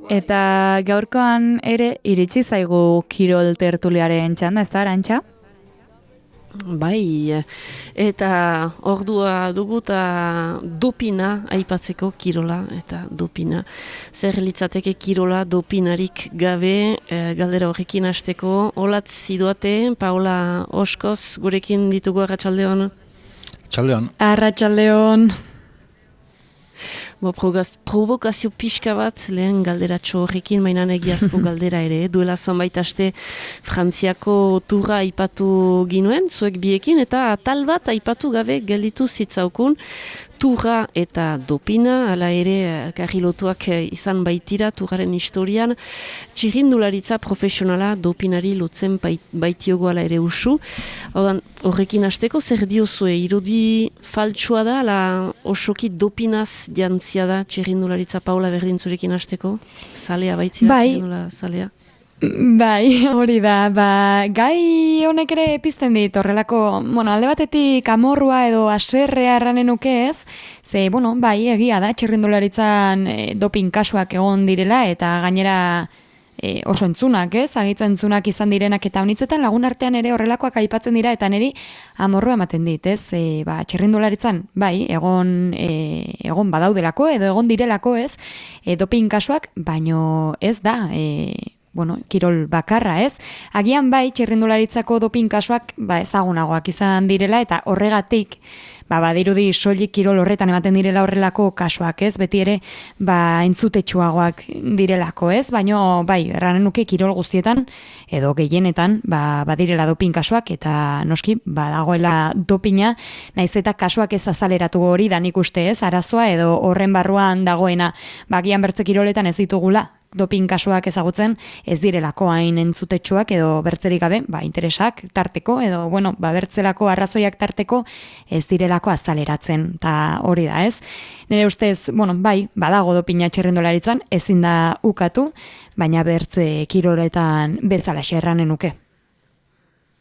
Eta gaurkoan ere iritsi zaigu kirol tertuliaren txanda, ez da, Arantxa? Bai, eta ordua dugu eta dopina aipatzeko kirola eta dopina. Zer litzateke kirola dopinarik gabe, galdera horrekin hasteko. Olatz zidoate, Paola Oskoz, gurekin ditugu arratsaldeon. Txaldeon. Arratsaldeon. Provokazio pixka bat, lehen galderatxo horrekin, mainan egiazko galdera ere. Duela zonbait aste Frantziako turra aipatu ginuen, zuek biekin, eta atal bat aipatu gabe gelditu zitzaukun. Turra eta dopina, hala ere karrilotuak izan baitira turraren historian, txirrindularitza profesionala dopinari lotzen baitiogo hala ere usu. Horrekin hasteko zer diozue, irudi faltsua da, ala osoki dopinaz jantzia da txirrindularitza. Paula, berdin zurekin hasteko? Zalea baitzia, bai. txirrindula zalea? Bai, hori da, gai honek ere pizten dit, horrelako, alde batetik amorrua edo aserrea erranen nuke ez, ze, bai, egia da, txirrindularitzan doping kasuak egon direla, eta gainera oso entzunak, ez, agitzen entzunak izan direnak, eta honitzetan lagun artean ere horrelakoak aipatzen dira, eta niri amorrua ematen dit, ez, txirrindularitzan, bai, egon badaudelako, edo egon direlako, ez, doping kasuak, baino ez da, kirol bakarra, ez? Agian bai, txirrindularitzako doping kasuak ezagunagoak izan direla, eta horregatik, badirudi soilik kirol horretan ematen direla horrelako kasuak, ez? Beti ere, entzutetsuagoak direlako, ez? Baino, erranen nuke kirol guztietan, edo gehienetan, badirela doping kasuak, eta noski, dagoela dopina, naiz eta kasuak ez azaleratu hori da nik uste, ez? Arazoa edo horren barruan dagoena, agian bertze kiroletan ez ditugula, doping kasuak ezagutzen ez direlako hain entzutetsuak edo bertzerik gabe, interesak tarteko edo, bertzelako arrazoiak tarteko ez direlako azaleratzen, eta hori da, ez? Nire ustez, badago dopina txirrindularitzan, ezin da ukatu, baina bertze kiroletan bezala erranen nuke.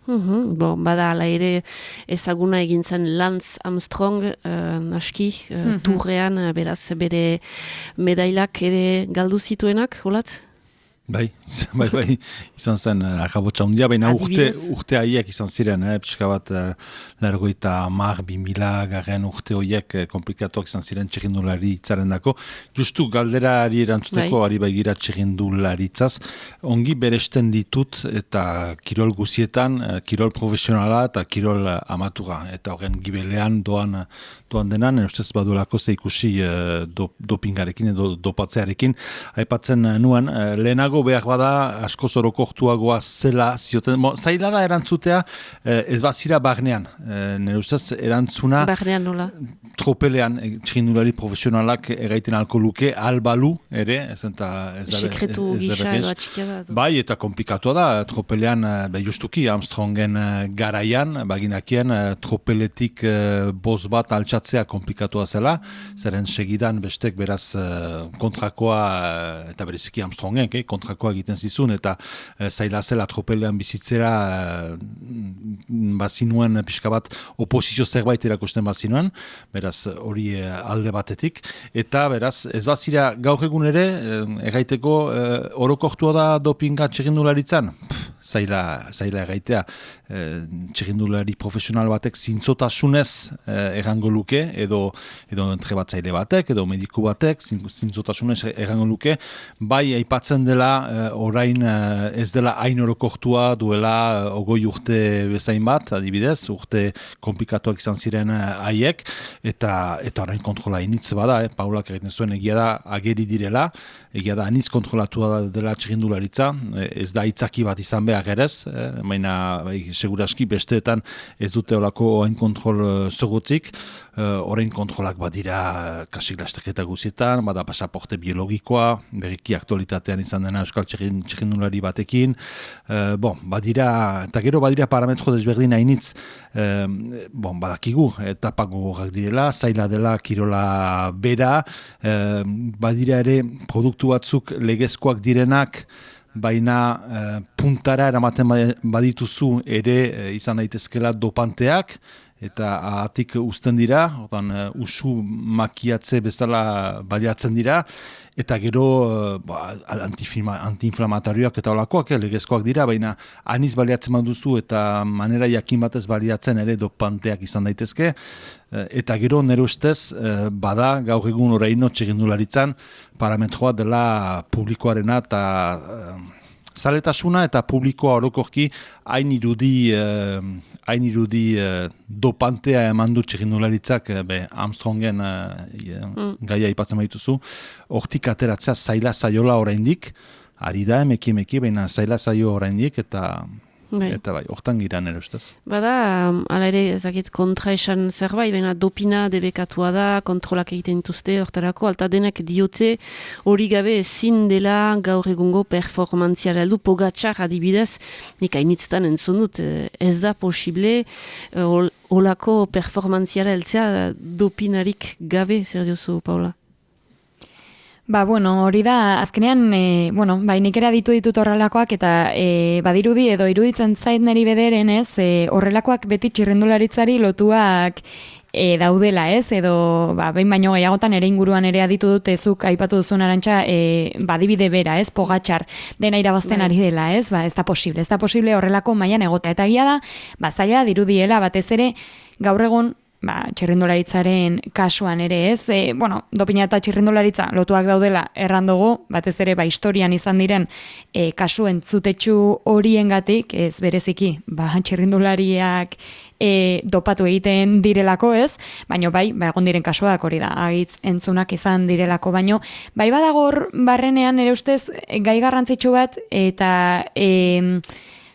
Bada ala ere ezaguna egin zen Lance Armstrong, naski, turrean, beraz, bere medailak ere galdu zituenak, holatz? Bai, izan zen akabotxa hundia, baina urte haiek izan ziren, pixka bat largoita 2000 garen urte horiek komplikatuak izan ziren txirrindulari itzaren dako. Justu galderari erantzuteko, ari baigira txirrindularitzaz, ongi beresten ditut eta kirol guzietan, kirol profesionala eta kirol amatura, eta horren gibelean doan denan, ustez baduelako zeikusi dopingarekin edo dopatzearekin, aipatzen nuen, lehenago behar bada asko zorokortuagoa zela zioten. Zaila da erantzutea ez bazira barnean. Nire ustez erantzuna barnean nola? Tropelean txirrindulari profesionalak erraiten alko luke, albalu ere. Sekretu gisa edo atxikia da. Bai, eta komplikatua da. Tropelean, justuki, Armstrongen garaian, baginakien tropeletik boz bat altxatzea komplikatua zela. Zeren segidan bestek beraz kontrakoa, eta bereziki Armstrongen, kontrakoa egiten zizun, eta zaila zela tropelean bizitzera bazinuen pixka bat oposizio zerbait erakusten bazinuen, beraz hori alde batetik, eta beraz ez bazira gaur egun ere erraiteko orokortua da dopinga txirrindularitzan? Zaila erraitea. Txirrindulari profesional batek zintzotasunez errango luke, edo entrebatzaile batek, edo mediku batek zintzotasunez errango luke, bai aipatzen dela orain ez dela hain orokortua duela 20 urte bezain bat, adibidez, urte komplikatuak izan ziren haiek, eta orain kontrola initz bada, Paulak egiten zuen egia da ageri direla, egia da anitz kontrolatua dela txirrindularitza, ez da itzaki bat izan behar erez, baina seguraski besteetan ez dute olako hain kontrol zogutzik, orain kontrolak badira kasik lasteketa guzietan, bada pasaporte biologikoa, berriki aktualitatean izan dena euskal txirrindulari batekin, badira, eta gero badira parametro desberdin hainitz, badakigu, etapak gogorrak direla, zaila dela kirola bera, badira ere produktu batzuk legezkoak direnak, baina puntara eramaten badituzu ere izan daitezkela dopanteak, eta atik uzten dira, usu makiatze bezala baliatzen dira, eta gero antiinflamatorioak eta olakoak legezkoak dira, baina aniz baliatzen baduzu eta manera jakin batez baliatzen ere dopanteak izan daitezke, eta gero nire ustez bada gaur egun oraino txirrindularitzan parametroa dela publikoarena eta zaletasuna eta publikoa orokorki hain irudi dopantea eman du txirrindularitzak Armstrongen gaia ipatzen baituzu, hortik ateratzea zaila zaiola oraindik, ari da emeki, baina zaila zaio oraindik eta hortan gira nire ustez. Bada, ala ere, ezakit kontra esan zerbait, baina dopina debekatua da, kontrolak egiten dituzte, hortarako, alta denak diote hori gabe ezin dela gaur egungo performantziara heldu, Pogačar adibidez, nik hainitzetan entzun dut, ez da posible olako performantziara heltzea dopinarik gabe, zer diozu, Paula? Hori da, azkenean, nik ere aditu ditut horrelakoak, eta badirudi edo iruditzen zait niri bederen, horrelakoak beti txirrindularitzari lotuak daudela, edo behin baino gehiagotan ere inguruan ere aditu dut zuk aipatu duzun Arantxa, badibide bera, Pogačar dena irabazten ari dela, ez da posible horrelako mailan egotea, eta egia da, zaila dirudiela batez ere gaur egun txirrindularitzaren kasuan ere, dopina eta txirrindularitza lotuak daudela errandugu, batez ere historian izan diren kasu entzutetsu horiengatik, ez bereziki, txirrindulariak dopatu egiten direlako, baina egon diren kasuak hori da, agitz entzunak izan direlako, baino badago hor barrenean ere ustez gai garrantzitsu bat, eta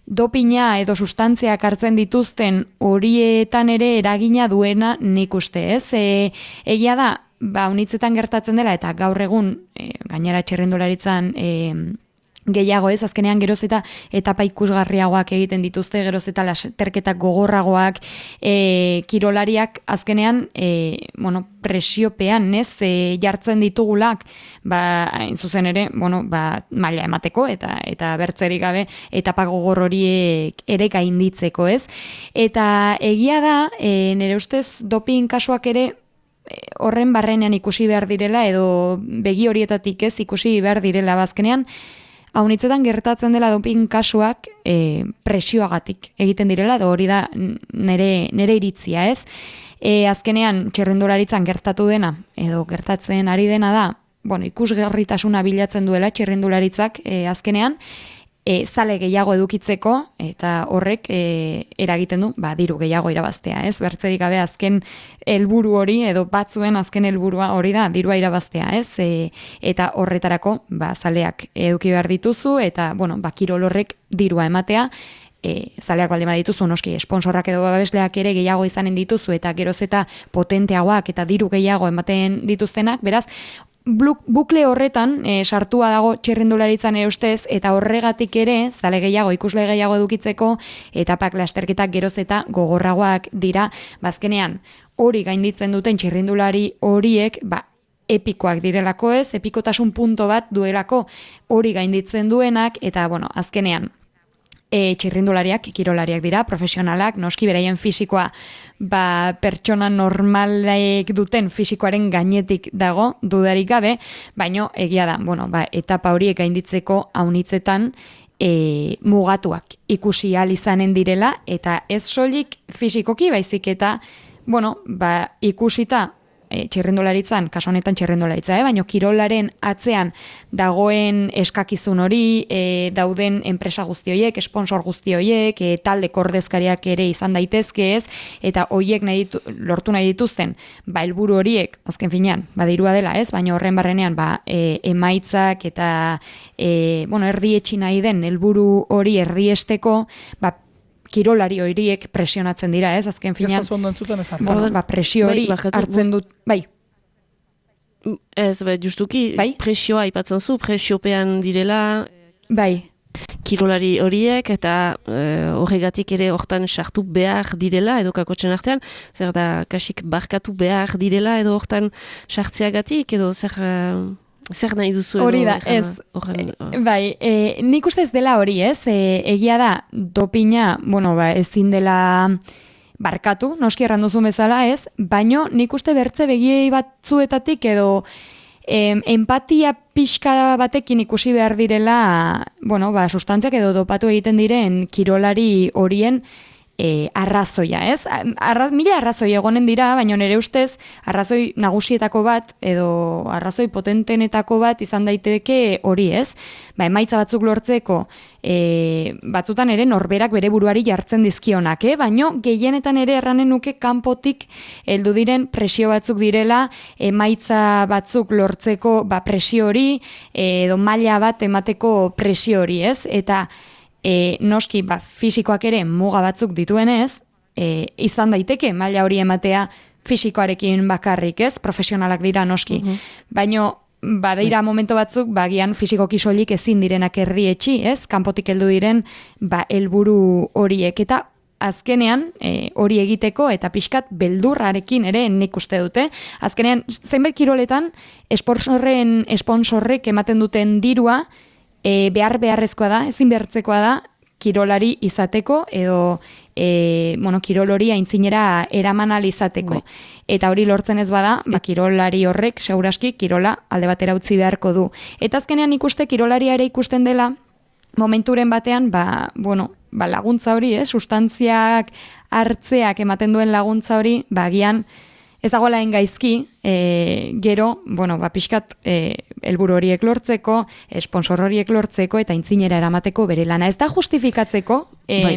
dopina edo sustantziak hartzen dituzten horietan ere eragina duena nik uste, egia da, unitzetan gertatzen dela, eta gaur egun, gainera txirrindularitzan gehiago, azkenean geroz eta etapa ikusgarriagoak egiten dituzte, geroz eta lasterketak gogorragoak, kirolariak azkenean presiopean, jartzen ditugulak, hain zuzen ere, maila emateko, eta bertzerik gabe, etapa gogor horiek ere gainditzeko, Eta egia da, nire ustez doping kasuak ere, horren barrenean ikusi behar direla, edo begi horietatik ikusi behar direla, bazkenean, haunitzetan gertatzen dela doping kasuak presioagatik egiten direla, edo hori da nire iritzia, azkenean txirrindularitzan gertatu dena, edo gertatzen ari dena da, ikusgarritasuna bilatzen duela txirrindularitzak azkenean, zale gehiago edukitzeko, eta horrek eragiten du, diru gehiago irabaztea, bertzerik gabe azken helburu hori, edo batzuen azken helburua hori da, dirua irabaztea, eta horretarako, zaleak eduki behar dituzu, eta, kirol horrek dirua ematea, zaleak baldin badituzu, noski, esponsorrak edo babesleak ere gehiago izanen dituzu, eta geroz eta potenteagoak, eta diru gehiago ematen dituztenak, beraz, bukle horretan sartua dago txirrindularitzan ustez, eta horregatik ere, zale gehiago, ikusle gehiago edukitzeko, etapak lasterketak geroz eta gogorragoak dira, bazkenean hori gainditzen duten txirrindulari horiek, epikoak direlako, epikotasun punto bat duelako hori gainditzen duenak, eta azkenean, txirrindulariak, kirolariak dira, profesionalak, noski beraien fisikoa pertsona normalek duten fisikoaren gainetik dago, dudarik gabe, baino egia da, etapa horiek gainditzeko haunitzetan mugatuak ikusi ahal izanen direla, eta ez soilik fisikoki baizik eta, ikusita txirrindularitzan, kasu honetan txirrindularitza, baina kirolaren atzean dagoen eskakizun hori, dauden enpresa guzti horiek, sponsor guzti horiek, talde ordezkariak ere izan daitezke eta horiek lortu nahi dituzten, helburu horiek, azken finean, dirua dela baina horren barrenean, emaitzak eta, erdietxi nahi den helburu hori erdiesteko, kirolari horiek presionatzen dira, azken finean. Ez da zondo entzuten ez presio hori hartzen dut, Ez, justuki, presioa ipatzen zu, presiopean direla kirolari horiek, eta horregatik ere hortan sartu behar direla, edo kakotxen artean, zer da, kasik barkatu behar direla, edo hortan sartzeagatik, edo zer nahi duzu edo? Hori da, ez. Nik uste ez dela hori, egia da, dopina, ezin dela barkatu, noski erran duzun bezala ez, baino nik uste bertze begiei batzuetatik edo empatia pixka batekin ikusi behar direla, bueno, sustantziak edo dopatu egiten diren kirolari horien arrazoia, ez? Mila arrazoi egonen dira, baina nire ustez arrazoi nagusietako bat edo arrazoi potentenetako bat izan daiteke hori, ez? Emaitza batzuk lortzeko batzutan ere norberak bere buruari jartzen dizkionak, baina gehienetan ere erranen nuke kanpotik heldu diren presio batzuk direla, emaitza batzuk lortzeko presio hori edo maila bat emateko presio hori, ez? Eta noski fisikoak ere muga batzuk dituenez, izan daiteke maila hori ematea fisikoarekin bakarrik, ez? Profesionalak dira noski. Baina badira momento batzuk, gian fisikoki soilik ezin direnak erdietxi, ez? Kanpotik heldu diren helburu horiek. Eta azkenean hori egiteko eta pixkat beldurrarekin ere nik uste dute. Azkenean, zenbait kiroletan esponsorrek ematen duten dirua beharrezkoa da, ezin behartzekoa da, kirolari izateko edo kirol hori aintzinera eraman ahal izateko. Eta hori lortzen ez bada, kirolari horrek seguraski kirola alde batera utzi beharko du. Eta azkenean ikuste kirolaria ere ikusten dela momenturen batean, laguntza hori, sustantziak hartzeak ematen duen laguntza hori, agian ez dagoela gaizki, gero, pixkat helburu horiek lortzeko, sponsor horiek lortzeko eta aintzinera eramateko bere lana. Ez da justifikatzeko,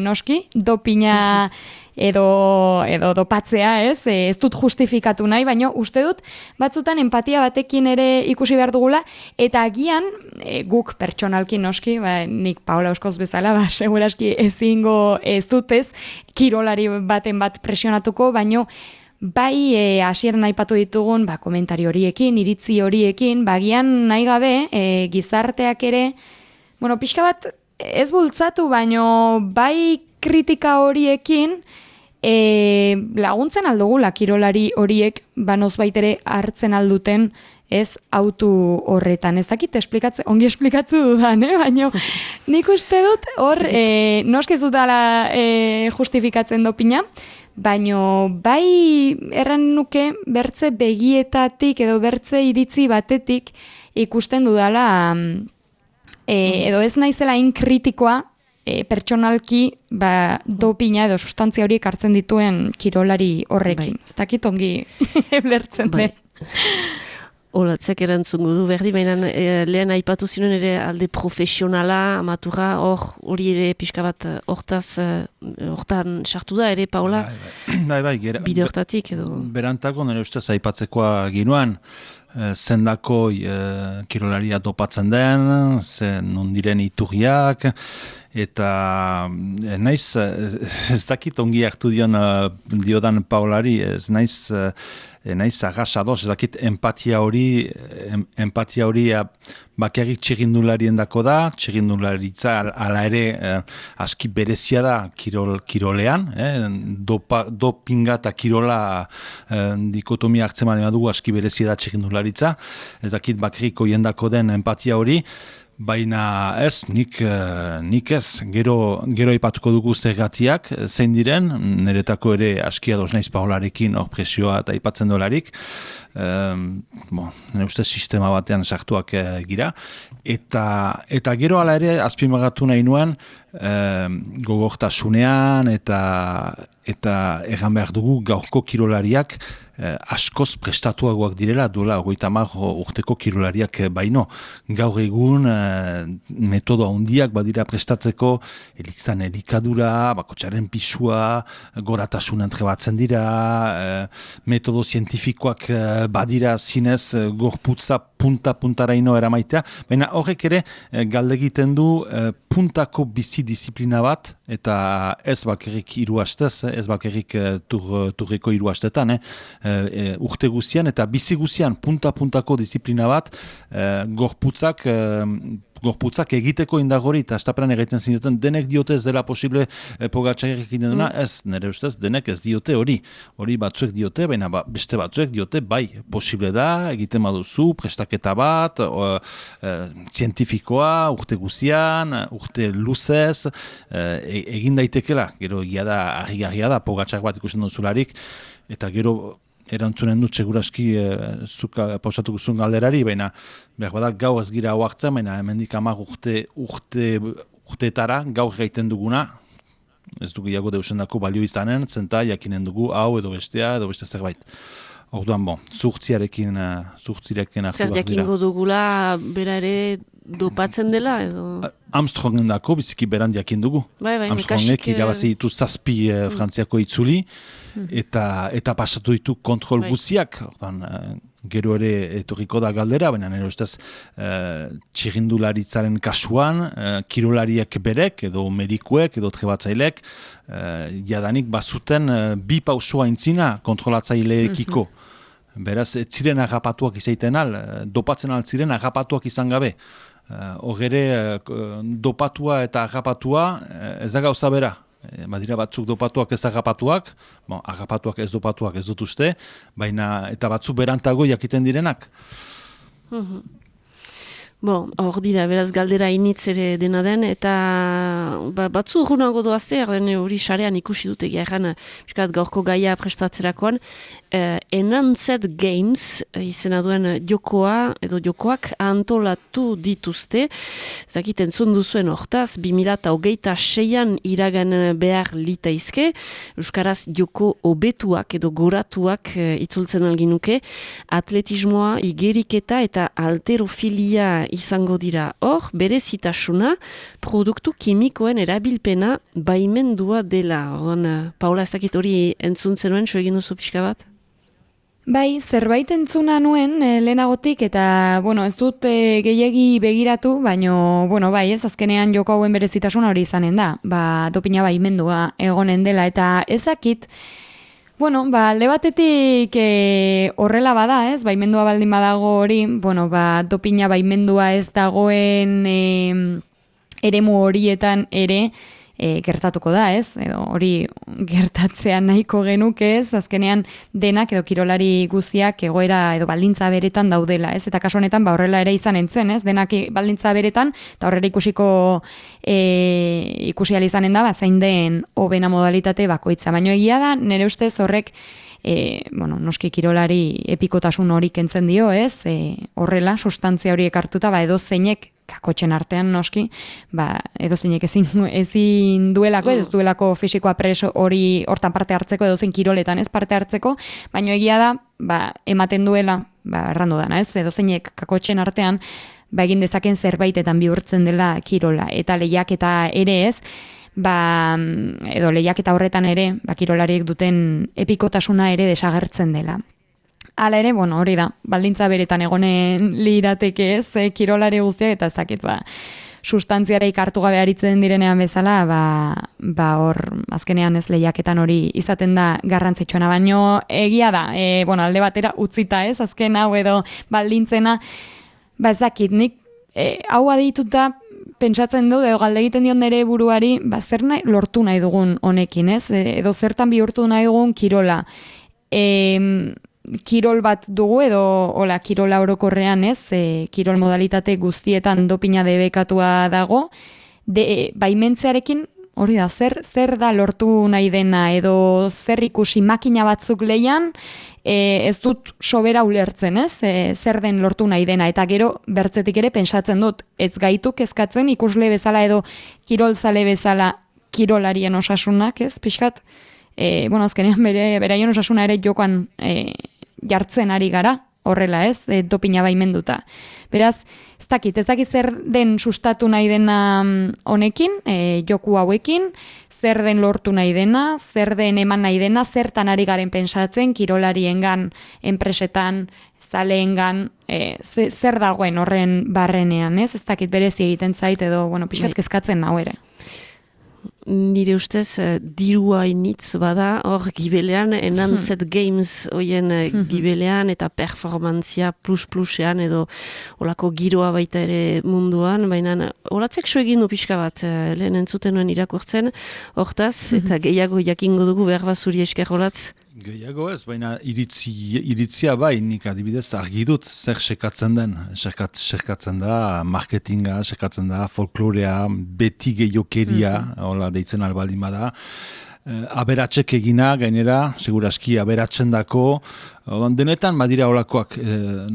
noski, dopina edo dopatzea, ez dut justifikatu nahi, baina uste dut batzutan empatia batekin ere ikusi behar dugula, eta agian guk pertsonalki noski, nik Paola Oskoz bezala, seguraski ezingo ez dutez, kirolari baten bat presionatuko, baina bai hasieran aipatu ditugun komentari horiekin, iritzi horiekin, bagian nahi gabe gizarteak ere, pixka bat ez bultzatu, baino bai kritika horiekin laguntzen aldugula kirolari horiek banoz baitere hartzen alduten ez autu horretan. Ez dakit ongi esplikatzu dudan, baina nik uste dut hor noskez dutala justifikatzen dopina, baina bai erran nuke bertze begietatik edo bertze iritzi batetik ikusten dudala edo ez naizela inkritikoa pertsonalki dopina edo sustantzia horiek hartzen dituen kirolari horrekin. Ez dakit ongi lertzen den. Olatzek erantzungo du berdi, baina lehen aipatu zinuen ere alde profesionala, amatura, hori ere pixka bat hortan sartu da ere, Paola? Bai, bide hortatik edo? Berantako nire ustez aipatzekoa ginoan, zendako kirolaria dopatzen den, non diren iturriak, eta naiz, ez dakit ongi hartu diodan Paolari, ez naiz agasados, ez dakit empatia hori bakarrik txirrindularien dako da, txirrindularitza ala ere aski berezia da kirolean, dopinga eta kirola dikotomia hartzen bali badugu aski berezia da txirrindularitza, ez dakit bakarrik oiendako den empatia hori, baina ez, nik ez, gero aipatuko dugu zergatiak, zein diren, niretako ere aski ados naiz Paolarekin hor presioa eta aipatzen dolarik, nire ustez sistema batean sartuak gira, eta gero ala ere azpimagatu nahi nuen gogortasunean eta egan behar dugu gaurko kirolariak askoz prestatuagoak direla, duela 30 urteko kirolariak baino. Gaur egun metodo handiak badira prestatzeko, elikadura, bakotxaren pisua, goratasun entrebatzen dira, metodo zientifikoak badira zinez gorputza punta-puntaraino eramaitea, baina horrek ere galdegiten du puntako bizi disiplina bat, eta ez bakarrik 3 astez, ez bakarrik turreko 3 astetan, urte guzian eta bizi guzian punta-puntako disiplina bat, gorputzak gorputzak egiteko indagori, eta estaperan egiten zinuten, denek diote ez dela posible Pogačarek egiten duna, ez, nire ustez, denek ez diote hori batzuek diote, baina beste batzuek diote, bai, posible da, egiten baduzu, prestaketa bat, zientifikoa, urte guzian, urte luzez, egin daitekela, gero egia da, argi-garria da, Pogačar bat ikusten duzularik, eta gero erantzunen dut seguraski zuk pausatuko zuen galderari, baina behar bada gau ez gira hauartzen, baina hemendik 10 urteetara gaur gaiten duguna, ez dugu iago deusendako balio izanen, zenta jakinen dugu hau edo beste zerbait. Orduan, zuhurtzirekin hartu behar dira. Zer jakingo dugula bera ere dopatzen dela edo... Armstrongen dako biziki beran jakin dugu. Bai, Armstrongek irabazi ditu 7 Frantziako itzuli, eta pasatu ditu kontrol guziak. Gero ere etorriko da galdera, baina nire ustez txirrindularitzaren kasuan, kirolariak berek, edo medikuek, edo trebatzailek, jadanik bazuten 2 pausoa intzina kontrolatzaileekiko. Beraz, ez ziren agapatuak izaiten dopatzen altziren agapatuak izan gabe. Hogere, dopatua eta agapatua ez da gauza bera. Badira batzuk dopatuak ez agapatuak, agapatuak ez dopatuak ez dut uste, baina eta batzuk berantago jakiten direnak. Hor dira, beraz galdera initz ere dena den, eta batzu urrunago doazte, hori sarean ikusi dute gehan, gaurko gaia prestatzerakoan, Enhanced Games izena duen jokoak antolatu dituzte, zakit entzun duzuen hortaz, 2026an iragan behar litaizke, euskaraz joko hobetuak edo goratuak itzultzen alginuke, atletismoa, igeriketa eta alterofilia izango dira. Hor, berezitasuna, produktu kimikoen erabilpena baimendua dela. Orduan, Paula, ez dakit hori entzun zenuen, so egin duzu pixka bat? Bai, zerbait entzuna nuen lehenagotik, eta, ez dut gehiegi begiratu, baina, bai, azkenean joko hauen berezitasuna hori izanen da. Dopina baimendua egonen dela, eta ezakit, alde batetik horrela bada, baimendua baldin badago hori, dopina baimendua ez dagoen eremu horietan ere gertatuko da, edo hori gertatzean nahiko genuke, azkenean denak edo kirolari guztiak egoera edo baldintza beretan daudela, eta kasu honetan horrela ere izan entzen, denak baldintza beretan, eta horrela ikusi izanen da, zein den hobena modalitate bakoitza. Baina egia da, nire ustez horrek noski kirolari epikotasun hori kentzen dio, horrela, sustantzia horiek hartuta, edo zeinek kakotxen artean noski, edo zeinek ezin duelako, ez duelako fisikoa preso hori hortan parte hartzeko, edo zein kiroletan ez parte hartzeko, baina egia da, ematen duela, errandu dana, edo zeinek kakotxen artean, egin dezaken zerbaitetan bihurtzen dela kirola, eta lehiaketa ere ez, edo lehiaketa horretan ere, kirolariek duten epikotasuna ere desagertzen dela. Hala ere, hori da, baldintza beretan egonen lirateke ez, kirolari guztiak, eta ez dakit, sustantziareik hartu gabe aritzen direnean bezala, hor, azkenean ez lehiaketan hori izaten da garrantzitsuena, baino egia da, alde batera utzita ez, azken hau edo baldintzena, ez dakit, nik hau adituta pentsatzen du, edo galde egiten dion nire buruari, zer lortu nahi dugun honekin, ez? Edo zertan bihurtu nahi dugun kirola. Kirol bat dugu, edo kirola orokorrean, ez? Kirol modalitate guztietan dopina debekatua dago. Baimentzearekin, hori da, zer da lortu nahi dena, edo zer ikusi makina batzuk lehian, ez dut sobera ulertzen, ez? Zer den lortu nahi dena, eta gero bertzetik ere pentsatzen dut, ez gaitu kezkatzen ikusle bezala edo kirolzale bezala kirolarien osasunak, ez? Pixkat, azkenean beraien osasuna ere jokoan jartzen ari gara, horrela ez, dopina baimenduta. Beraz, ez dakit zer den sustatu nahi dena honekin, joku hauekin, zer den lortu nahi dena, zer den eman nahi dena, zertan ari garen pentsatzen, kirolariengan, enpresetan, zaleengan, zer dagoen horren barrenean, ez dakit berezi egiten zait edo, pixkat kezkatzen nau ere. nire ustez dirua initz bada, hor gibelean, Enhanced Games hoien gibelean eta performantzia plus-plusean edo olako giroa baita ere munduan, baina olatzek so egin du pixka bat, lehen entzuten nuen irakurtzen, hortaz, eta gehiago jakingo dugu behar bat zuri esker olatz. Gehiago ez, baina iritzia bai, nik adibidez argi dut zer sekatzen den. Sekatzen da marketinga, sekatzen da folklorea, beti gehiokeria, hola deitzen albaldin bada. Aberatsek egina, gainera, seguraski aberatzen dako, denetan badira holakoak,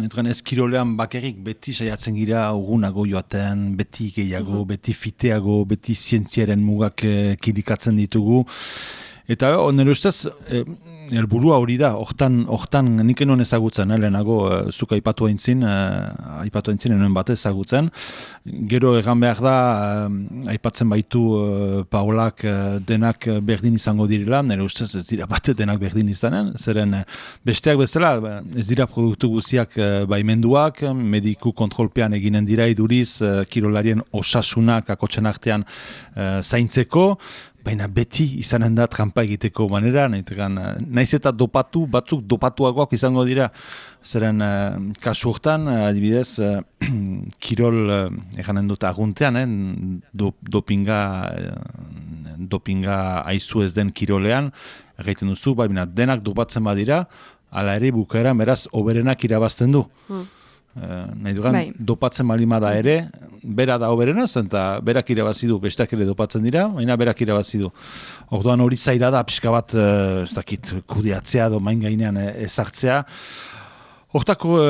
netan ez kirolean bakarrik beti saiatzen gira ugunago joaten, beti gehiago, beti fiteago, beti zientziaren mugak kilikatzen ditugu. Eta nire ustez, helburua hori da, hortan nik enuen ezagutzen, lehenago zuk aipatu aintzin enuen bat ezagutzen. Gero egan behar da, aipatzen baitu Paolak denak berdin izango direla, nire ustez ez dira bat denak berdin izanen, zeren besteak bezala, ez dira produktu guziak baimenduak, mediku kontrolpean eginen dira iduriz, kirolarien osasunak akotxen artean zaintzeko, baina beti izanen da trampa egiteko manera, naiz eta dopatu, batzuk dopatuagoak izango dira. Zeren kasu hortan, adibidez, kirol, eganen dut aguntean, dopinga aizu ez den kirolean, egiten duzu, baina denak dopatzen badira, ala ere bukaeran beraz oberenak irabazten du. Nahi dugan, dopatzen balima da ere, bera da oberenaz, eta berak irabazi du, besteak ere dopatzen dira, baina berak irabazi du. Orduan hori zaila da, pixka bat, ez dakit, kudeatzea, main gainean ezartzea. Hortako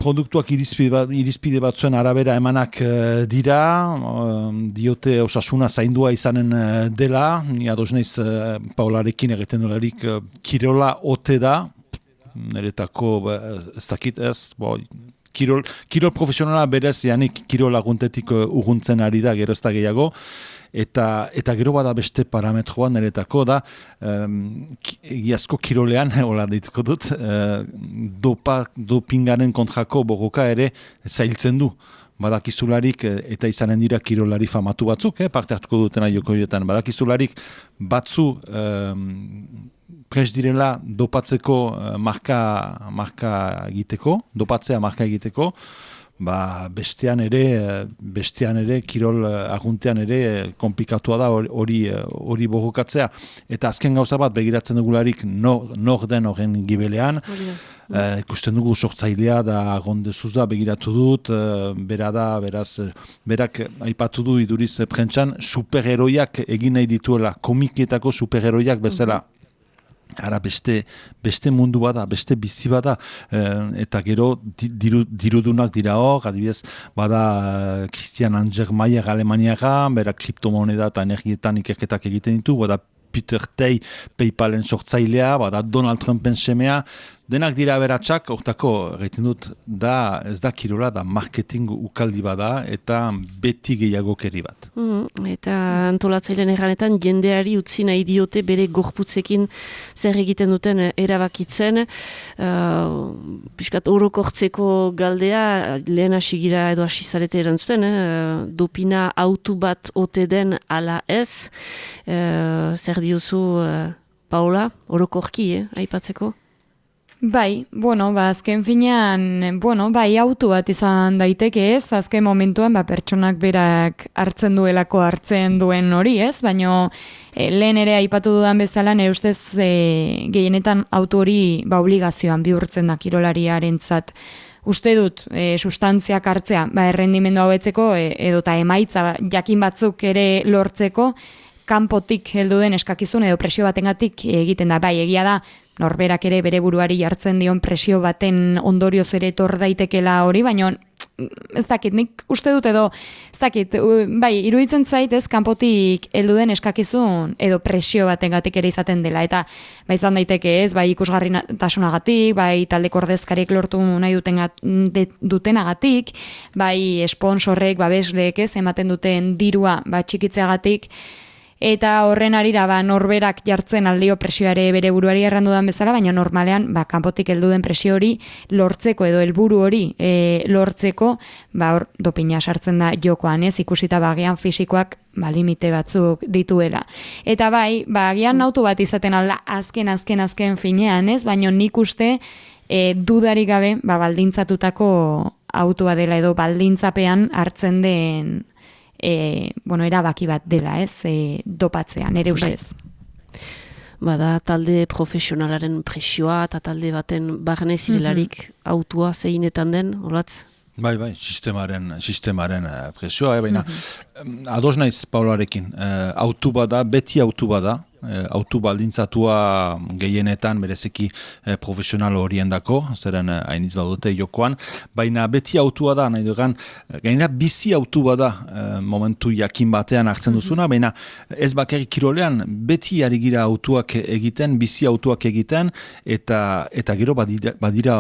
produktuak irizpide batzuen arabera emanak dira, diote osasuna zaindua izanen dela, ni ados naiz Paolarekin egiten dolarik kirola ote da, niretako ez dakit ez, kirol profesionala berez, janik kirol aguntetik urruntzen ari da, gero ez da gehiago, eta gero bada beste parametroa niretako da, egiazko kirolean, hola dituko dut, dopingaren kontrako borroka ere zailtzen du. Badakizularik, eta izanen dira kirolari famatu batzuk, parte hartuko dutena jokoietan, badakizularik batzu prest direla dopatzeko marka egiteko, dopatzea marka egiteko, bestean ere kirol aguntean ere konplikatua da hori borrokatzea. Eta azken gauza bat begiratzen dugularik nor den horren gibelean, ikusten dugu sortzailea da agondezuz da begiratu dut, berak aipatu du iduriz prentsan superheroiak egin nahi dituela, komikietako superheroiak bezala. Ara beste mundu bada, beste bizi bada, eta gero dirudunak dira hor, adibidez, bada Christian Angermayer Alemaniaga, bera kriptomoneda eta energietan ikerketak egiten ditu, bada Peter Tay PayPalen sortzailea, bada Donald Trumpen semea, denak dira beratxak, hortako, egiten dut, ez da kirola, da marketing ukaldi bada, eta beti gehiagokeri bat. Eta antolatzailean erranetan, jendeari utzi nahi diote bere gorputzekin zer egiten duten erabakitzen, piskat orokortzeko galdea, lehen hasigira edo hasizarete erantzuten, dopina autu bat ote den ala ez, zer diozu, Paola, orokorki, aipatzeko? Bai, azken finean, auto bat izan daiteke ez, azken momentuan, pertsonak berak hartzen duen hori ez, baina lehen ere aipatu dudan bezala, nire ustez gehienetan auto hori obligazioan bihurtzen da kirolariarentzat. Uste dut, sustantziak hartzea, errendimendu hobetzeko edota emaitza jakin batzuk ere lortzeko, kanpotik heldu den eskakizun edo presio batengatik egiten da, egia da, norberak ere bere buruari jartzen dion presio baten ondorioz ere etor daitekela hori, baina ez dakit, nik uste dut edo, ez dakit, iruditzen zait ez kanpotik heldu den eskakizun edo presio batengatik ere izaten dela, eta izan daiteke ez, ikusgarritasunagatik, taldeko ordezkariek lortu nahi dutenagatik, sponsorrek, babesleek ez, ematen duten dirua txikitzeagatik, eta horren arira norberak jartzen aldio presioare bere buruari errandudan bezala, baina normalean kanpotik heldu den presio hori lortzeko edo helburu hori lortzeko hor dopina sartzen da jokoan, ez ikusita bagian fisikoak limite batzuk dituela. Eta agian auto bat izaten alda azken finean, ez? Baina nik uste dudarik gabe baldintzatutako autua dela edo baldintzapean hartzen den erabaki bat dela, ez? Dopatzean, ere ustez. Bada talde profesionalaren presioa eta talde baten barne zirelarik autua zeinetan den, olatz? Bai, sistemaren presioa, baina ados naiz Paularekin, autu bada, beti autu bada, autu baldintzatua gehienetan bereziki profesional horiendako, zeren hainitz badute jokoan, baina beti autua da, nahi dugan, gainera bizi autu bada momentu jakin batean hartzen duzuna, baina ez bakarrik kirolean, beti ari gira autuak egiten, bizi autuak egiten, eta gero badira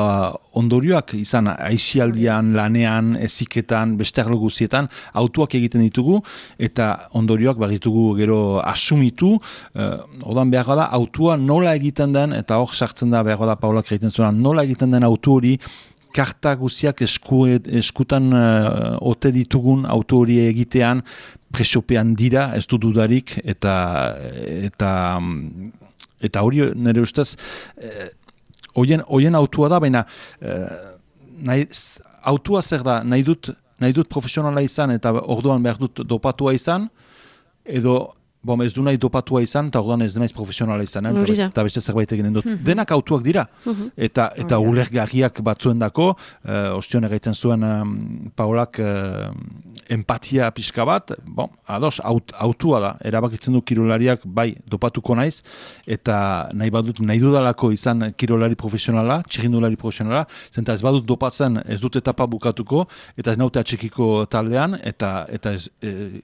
ondorioak izan aisialdian, lanean, eziketan, beste arlo guzietan, autuak egiten ditugu, eta ondorioak baditugu gero asumitu, odan behar da, autua nola egiten den, eta hor sartzen da behar da Paulak egiten zuena, nola egiten den autu hori, karta guziak eskutan ote ditugun autu hori egitean, presiopean dira, ez du dudarik, eta hori nire ustez, hoien autua da, baina autua zer da, nahi dut profesionala izan, eta orduan behar dut dopatua izan, edo ez du nahi dopatua izan, eta orduan ez denaiz profesionala izan, eta beste zerbait egiten dut. Denak autuak dira, eta ulergarriak batzuendako, ostion egiten zuen Paulak empatia pixka bat, ados, autua da, erabakitzen du kirolariak, bai, dopatuko naiz, eta nahi dudalako izan kirolari profesionala, txirrindulari profesionala, zenta ez badut dopatzen, ez dut etapa bukatuko, eta ez naute atxikiko taldean, eta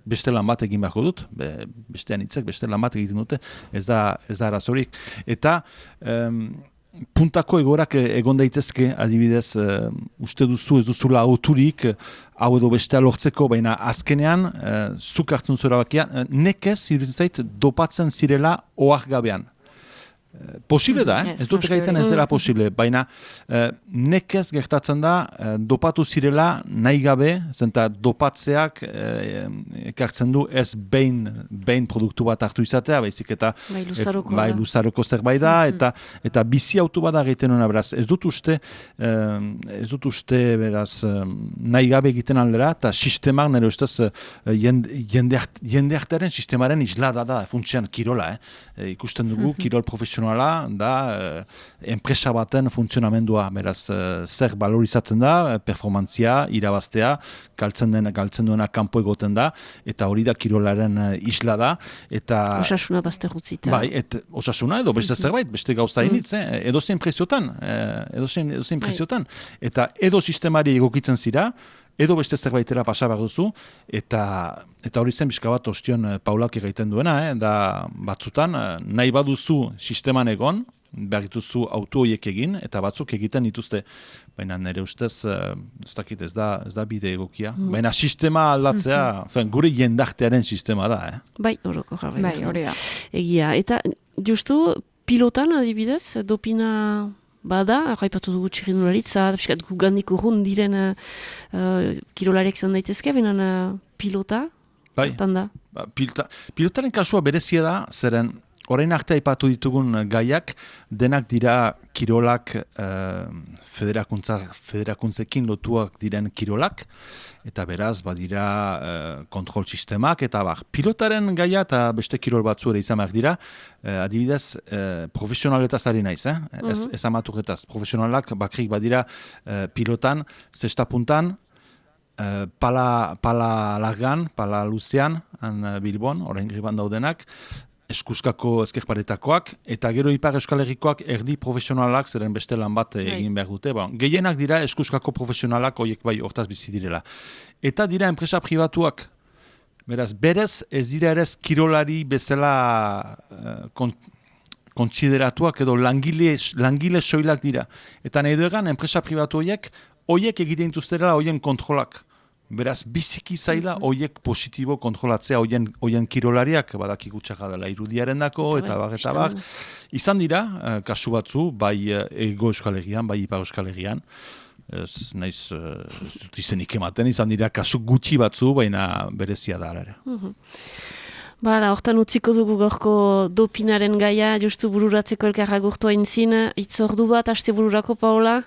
beste lan bat egin beharko dut, beste lan bat egiten dute, ez da arazorik. Eta puntako egorak egon daitezke, adibidez, uste duzu ez duzula auturik, hau edo bestea lortzeko, baina azkenean, zuk hartzen zura bakia, nekez, iruditzen zait, dopatzen zirela ohar gabean. Posible da, ez dut gaiten ez dela posible, baina nekez gertatzen da dopatu zirela nahi gabe, zenta dopatzeak ekartzen du ez behin produktu bat hartu izatea, baizik eta luzaroko zerbait da, eta bizi autu bat egiten hona, beraz, ez dut uste beraz nahi gabe egiten aldera, eta sistemak nire ustez jendeartearen sistemaren islada da, funtsean kirola, ikusten dugu, kirol profesionala da enpresa baten funtzionamendua, beraz zer valorizatzen da, performantzia, irabaztea, galtzen duena kanpo egoten da, eta hori da kirolaren isla da, eta osasuna bazte gutzita. Bai, osasuna edo beste zerbait, beste gauza initz, edozein preziotan, eta edo sistemari egokitzen zira, edo beste zerbaitera pasa behar duzu, eta hori zen bizka bat ostion Paulak egiten duena, da batzutan nahi baduzu sisteman egon, behar dituzu auto horiek egin, eta batzuk egiten dituzte, baina nire ustez, ez da bide egokia. Baina sistema aldatzea, gure jendartearen sistema da. Bai, horoko jarri. Bai, hori da. Egia, eta justu pilotan adibidez, dopina bada, arraipatu dugu txirrindularitza, piskat gugandik urrun diren kirolariak zan daitezke, benen pilota, zertan da? Pilotaren kasua berezia da, zeren orain arte aipatu ditugun gaiak, denak dira kirolak, federakuntzekin lotuak diren kirolak, eta beraz, badira kontrol sistemak, eta pilotaren gaia eta beste kirol batzu ere izan behar dira, adibidez, profesionaletaz ari naiz, ez amaturetaz. Profesionalak bakrik badira pilotan, zesta puntan, pala largan, pala luzean, Bilbon, orain griban daudenak, eskuskako ezkerparetakoak, eta gero Ipar Euskal Herrikoak erdi profesionalak, zeren beste lan bat egin behar dute. Gehienak dira eskuskako profesionalak, horiek bai hortaz bizi direla. Eta dira enpresa pribatuak. Berez ez dira ere kirolari bezala kontsideratuak edo langile soilak dira. Eta nahi duegan enpresa pribatu horiek egiten dituzterela horien kontrolak. Beraz, biziki zaila hoiek positibo kontrolatzea, hoien kirolariak, badakigu txaka dela irudiaren dako, eta bak. Izan dira, kasu batzu, bai Ego Euskal Herrian, bai Ipar Euskal Herrian, ez naiz, ez dut izenik ematen, izan dira kasu gutxi batzu, baina berezia da ere. Bala, hortan utziko dugu gorko dopinaren gaia, justu bururatzeko elkarra gurtu aintzin, itzordu bat, aste bururako, Paola?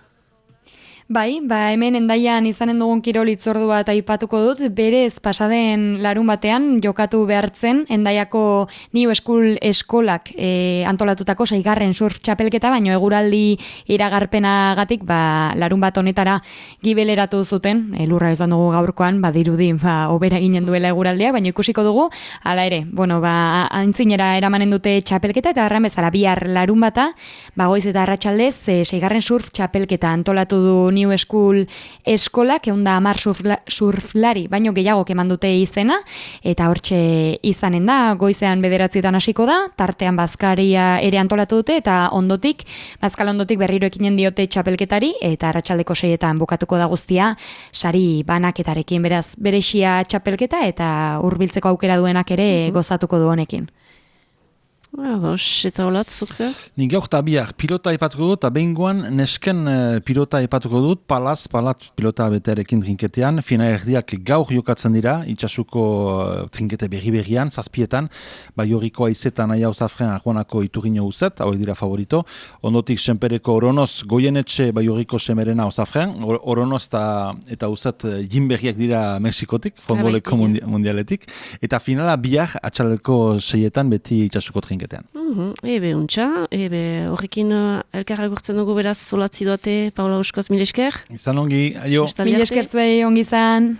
Bai, hemen Hendaian izanen dugun kirol hitzordu bat aipatuko dut, berez pasaden larun batean jokatu behartzen Hendaiako New School eskolak antolatutako 6. surf txapelketa, baino eguraldi iragarpenagatik larun bat honetara gibeleratu zuten, lurra izan dugu gaurkoan, badirudi hobera eginen duela eguraldia, baino ikusiko dugu, hala ere, aintzinera eramanen dute txapelketa, eta erran bezala bihar larun bata, goiz eta arratsaldez 6. surf txapelketa antolatu du New School eskolak, 110 surflari, baino gehiago eman dute izena, eta hortxe izanen da, goizean 9 hasiko da, tartean bazkaria ere antolatu dute, eta bazkal ondotik berriro ekinen diote txapelketari, eta arratsaldeko 6etan bukatuko da guztia, sari banaketarekin, beraz, berexia txapelketa, eta hurbiltzeko aukera duenak ere gozatuko du honekin. Ados, eta holat, zuke? Nik gaur eta bihar pilota epatuko dut, eta behingoan nesken pilota epatuko dut, palat pilota betearekin trinketean, fina erdiak gaur jokatzen dira, itxasuko trinkete berri-berrian, 7etan, Baioriko aizetan aia uzafren arguanako iturino uzet, hauek dira favorito, ondotik senpereko Oronoz goienetxe Baioriko semerena uzafren, Oronoz eta uzet jinberriak dira Mexikotik, fondboleko mundialetik, eta finala bihar atxaleko 6etan beti itxasuko trinketean. Ebe untxa, horrekin elkarra gurtzen dugu beraz solatzi duate, Paola Uskoz, mil esker. Izan ongi, aio. Mil esker zuei, ongi izan.